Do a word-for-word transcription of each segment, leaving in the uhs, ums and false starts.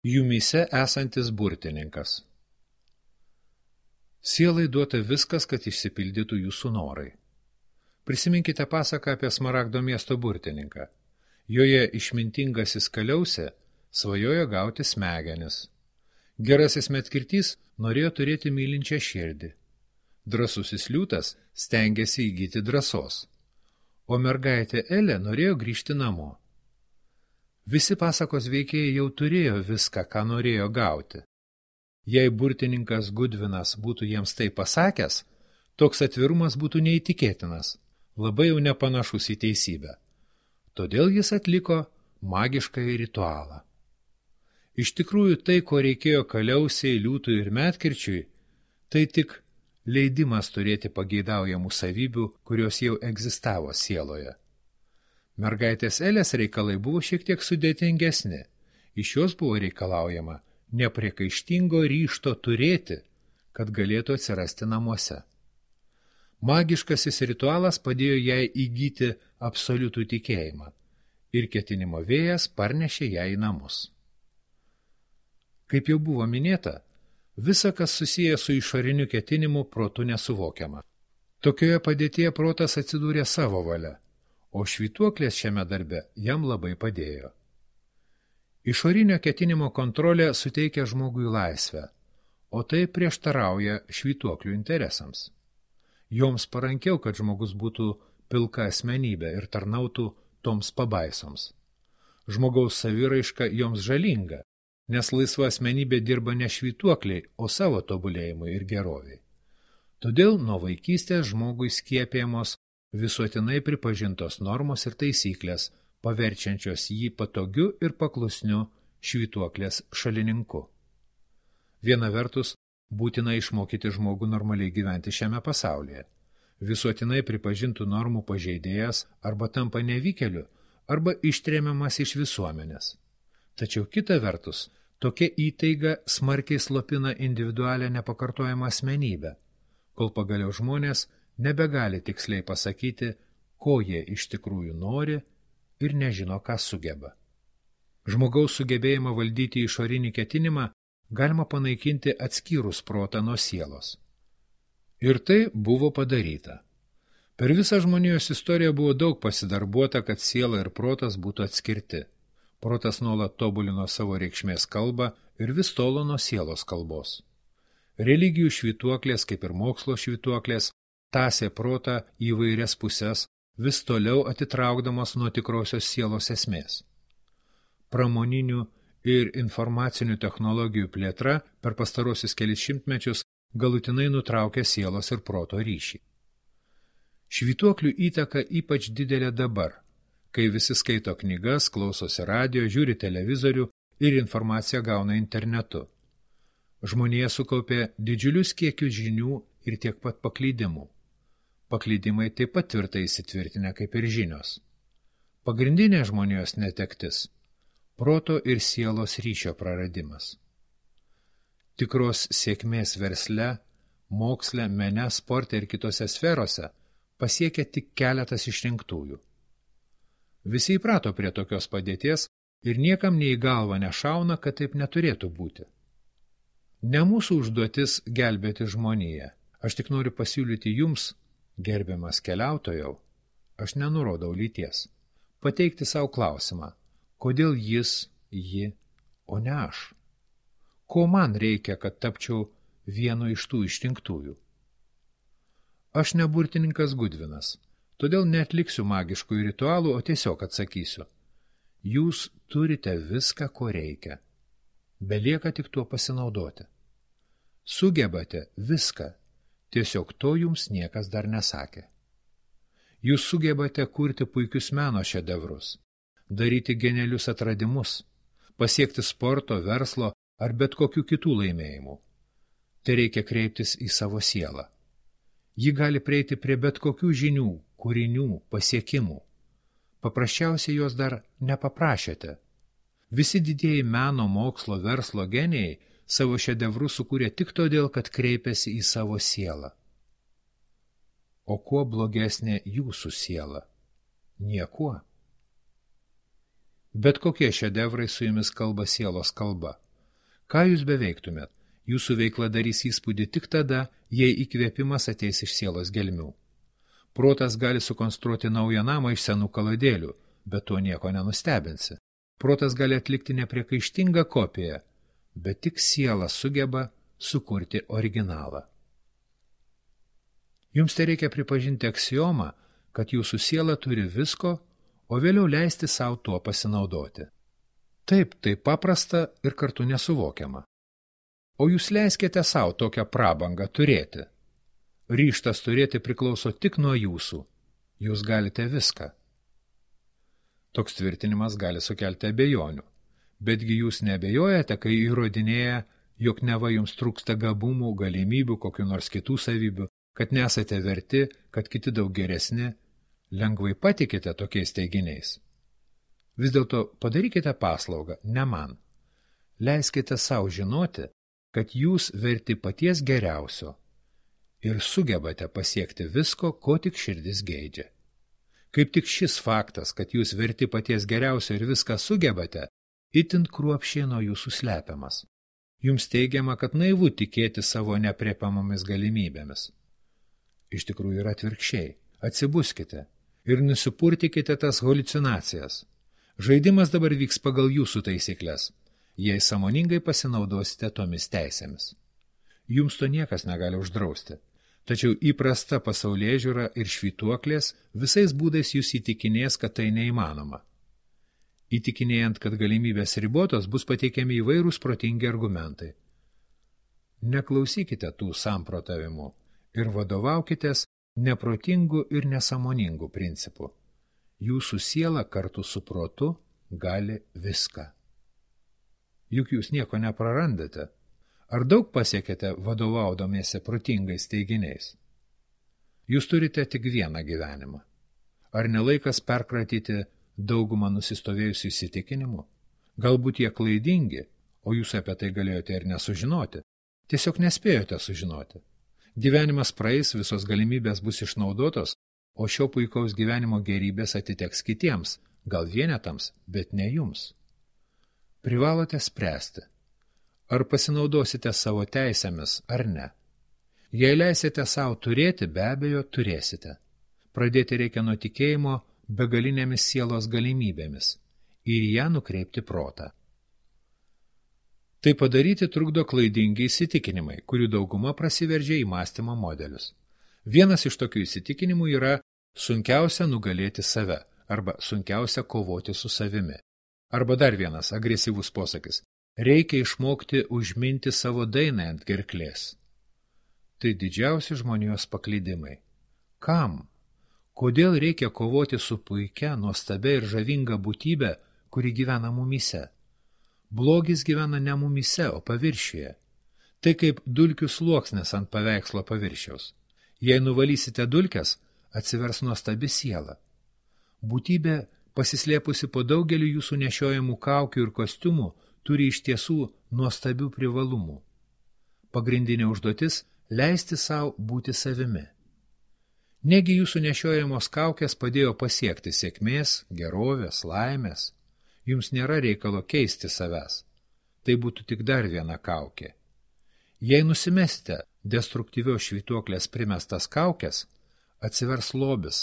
Jumyse esantis burtininkas. Sielai duota viskas, kad išsipildytų jūsų norai. Prisiminkite pasaką apie Smaragdo miesto burtininką. Joje išmintingasis Kaliausė svajojo gauti smegenis. Gerasis Medkirtys norėjo turėti mylinčią širdį. Drąsusis Liūtas stengėsi įgyti drąsos, o mergaitė Elė norėjo grįžti namo. Visi pasakos veikėjai jau turėjo viską, ką norėjo gauti. Jei burtininkas Gudvinas būtų jiems tai pasakęs, toks atvirumas būtų neįtikėtinas, labai jau nepanašus į teisybę. Todėl jis atliko magiškąjį ritualą. Iš tikrųjų, tai, ko reikėjo Kaliausiai, Liūtui ir Medkirčiui, tai tik leidimas turėti pageidaujamų savybių, kurios jau egzistavo sieloje. Mergaitės Elės reikalai buvo šiek tiek sudėtingesni. Iš jos buvo reikalaujama nepriekaištingo ryžto turėti, kad galėtų atsirasti namuose. Magiškasis ritualas padėjo jai įgyti absoliutų tikėjimą ir ketinimo vėjas parnešė ją į namus. Kaip jau buvo minėta, visa, kas susiję su išoriniu ketinimu, protu nesuvokiama. Tokioje padėtyje protas atsidūrė savo valia, o švytuoklės šiame darbe jam labai padėjo. Išorinio ketinimo kontrolė suteikia žmogui laisvę, o tai prieštarauja švytuoklių interesams. Joms parankiau, kad žmogus būtų pilka asmenybė ir tarnautų toms pabaisoms. Žmogaus saviraiška joms žalinga, nes laisva asmenybė dirba ne švytuokliai, o savo tobulėjimui ir geroviai. Todėl nuo vaikystės žmogui skiepijamos visuotinai pripažintos normos ir taisyklės, paverčiančios jį patogiu ir paklusniu švytuoklės šalininku. Viena vertus, būtina išmokyti žmogų normaliai gyventi šiame pasaulyje. Visuotinai pripažintų normų pažeidėjas arba tampa nevykėliu, arba ištremiamas iš visuomenės. Tačiau kita vertus, tokia įtaiga smarkiai slopina individualią nepakartojamą asmenybę, kol pagaliau žmonės nebegali tiksliai pasakyti, ko jie iš tikrųjų nori ir nežino, ką sugeba. Žmogaus sugebėjimą valdyti išorinį ketinimą galima panaikinti atskyrus protą nuo sielos. Ir tai buvo padaryta. Per visą žmonijos istoriją buvo daug pasidarbuota, kad siela ir protas būtų atskirti. Protas nuolat tobulino savo reikšmės kalbą ir vis tolo nuo sielos kalbos. Religijų švytuoklės, kaip ir mokslo švytuoklės, tąsė protą į įvairias pusės, vis toliau atitraukdamas nuo tikrosios sielos esmės. Pramoninių ir informacinių technologijų plėtra per pastarosius kelis šimtmečius galutinai nutraukė sielos ir proto ryšį. Švytuoklių įtaka ypač didelė dabar, kai visi skaito knygas, klausosi radijo, žiūri televizorių ir informaciją gauna internetu. Žmonija sukaupė didžiulius kiekius žinių ir tiek pat paklydimų. Paklydimai taip pat tvirtai įsitvirtinę kaip ir žinios. Pagrindinė žmonijos netektis – proto ir sielos ryšio praradimas. Tikros sėkmės versle, moksle, mene, sporte ir kitose sferose pasiekia tik keletas išrinktųjų. Visi įprato prie tokios padėties ir niekam nei į galvą nešauna, kad taip neturėtų būti. Ne mūsų užduotis gelbėti žmoniją. Aš tik noriu pasiūlyti jums, gerbiamas keliautojau, aš nenurodau lyties, pateikti savo klausimą, kodėl jis, ji, o ne aš? Ko man reikia, kad tapčiau vienu iš tų išrinktųjų? Aš ne burtininkas Gudvinas, todėl neatliksiu magiškų ritualų, o tiesiog atsakysiu. Jūs turite viską, ko reikia. Belieka tik tuo pasinaudoti. Sugebate viską, tiesiog to jums niekas dar nesakė. Jūs sugebate kurti puikius meno šedevrus, daryti genialius atradimus, pasiekti sporto, verslo ar bet kokių kitų laimėjimų. Tai reikia kreiptis į savo sielą. Ji gali prieiti prie bet kokių žinių, kūrinių, pasiekimų. Paprasčiausiai jos dar nepaprašėte. Visi didieji meno, mokslo, verslo genijai savo šedevrus sukūrė tik todėl, kad kreipėsi į savo sielą. O kuo blogesnė jūsų siela? Niekuo. Bet kokie šedevrai su jumis kalba sielos kalba, Ką jūs beveiktumėt, jūsų veikla darys įspūdį tik tada, jei įkvėpimas ateis iš sielos gelmių. Protas gali sukonstruoti naują namą iš senų kaladėlių, bet to nieko nenustebinsi. Protas gali atlikti nepriekaištingą kopiją, bet tik siela sugeba sukurti originalą. Jums tai reikia pripažinti aksiomą, kad jūsų siela turi visko, o vėliau leisti savo tuo pasinaudoti. Taip, tai paprasta ir kartu nesuvokiama. O jūs leiskite savo tokią prabangą turėti. Ryžtas turėti priklauso tik nuo jūsų. Jūs galite viską. Toks tvirtinimas gali sukelti abejonių. Betgi jūs neabejojate, kai įrodinėja, jog neva jums trūksta gabumų, galimybių, kokių nors kitų savybių, kad nesate verti, kad kiti daug geresni, lengvai patikite tokiais teiginiais. Vis dėlto padarykite paslaugą, ne man. Leiskite savo žinoti, kad jūs verti paties geriausio ir sugebate pasiekti visko, ko tik širdis geidžia. Kaip tik šis faktas, kad jūs verti paties geriausio ir viską sugebate, itin kruopščiai nuo jūsų slepiamas. Jums teigiama, kad naivu tikėti savo nepriepiamomis galimybėmis. Iš tikrųjų yra atvirkščiai. Atsibuskite ir nusipurtikite tas haliucinacijas. Žaidimas dabar vyks pagal jūsų taisyklės, jei sąmoningai pasinaudosite tomis teisėmis. Jums to niekas negali uždrausti, tačiau įprasta pasaulėžiūra ir švytuoklės visais būdais jūs įtikinės, kad tai neįmanoma. Įtikinėjant, kad galimybės ribotos, bus pateikiami įvairūs protingi argumentai. Neklausykite tų samprotavimų ir vadovaukitės neprotingų ir nesąmoningų principų. Jūsų siela kartu su protu gali viską. Juk jūs nieko neprarandate. Ar daug pasiekėte vadovaudomėse protingais teiginiais? Jūs turite tik vieną gyvenimą. Ar nelaikas perkratyti daugumą nusistovėjusių įsitikinimų? Galbūt jie klaidingi, o jūs apie tai galėjote ir nesužinoti. Tiesiog nespėjote sužinoti. Gyvenimas praeis, visos galimybės bus išnaudotos, o šio puikaus gyvenimo gerybės atiteks kitiems, gal vienetams, bet ne jums. Privalote spręsti, ar pasinaudosite savo teisėmis ar ne. Jei leisite savo turėti, be abejo turėsite. Pradėti reikia nuo tikėjimo begalinėmis sielos galimybėmis ir ją nukreipti protą. Tai padaryti trukdo klaidingi įsitikinimai, kurių dauguma prasiveržia į mąstymo modelius. Vienas iš tokių įsitikinimų yra sunkiausia nugalėti save arba sunkiausia kovoti su savimi. Arba dar vienas agresyvus posakis – reikia išmokti užminti savo dainą ant gerklės. Tai didžiausi žmonijos paklydimai. Kam? Kodėl reikia kovoti su puikia, nuostabia ir žavinga būtybe, kuri gyvena mumyse? Blogis gyvena ne mumyse, o paviršiuje. Tai kaip dulkių sluoksnis ant paveikslo paviršiaus. Jei nuvalysite dulkes, atsivers nuostabi siela. Būtybė, pasislėpusi po daugeliu jūsų nešiojamų kaukių ir kostiumų, turi iš tiesų nuostabių privalumų. Pagrindinė užduotis – leisti savo būti savimi. Negi jūsų nešiojamos kaukės padėjo pasiekti sėkmės, gerovės, laimės. Jums nėra reikalo keisti savęs. Tai būtų tik dar viena kaukė. Jei nusimesite destruktyvios švytuoklės primestas kaukės, atsivers lobis,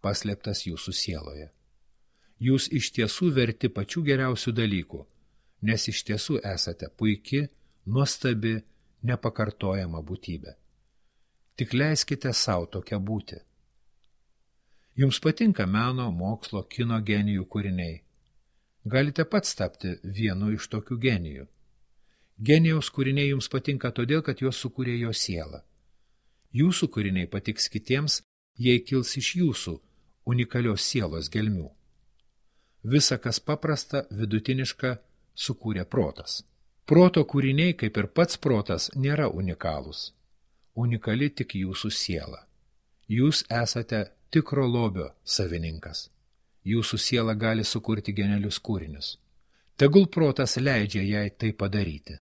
paslėptas jūsų sieloje. Jūs iš tiesų verti pačių geriausių dalykų, nes iš tiesų esate puiki, nuostabi, nepakartojama būtybė. Tik leiskite savo tokią būti. Jums patinka meno, mokslo, kino genijų kūriniai. Galite pats tapti vienu iš tokių genijų. Genijaus kūriniai jums patinka todėl, kad juos sukūrė jo siela. Jūsų kūriniai patiks kitiems, jei kils iš jūsų unikalios sielos gelmių. Visa, kas paprasta, vidutiniška, sukūrė protas. Proto kūriniai, kaip ir pats protas, nėra unikalūs. Unikali tik jūsų siela. Jūs esate tikro lobio savininkas. Jūsų siela gali sukurti genialius kūrinius. Tegul protas leidžia jai tai padaryti.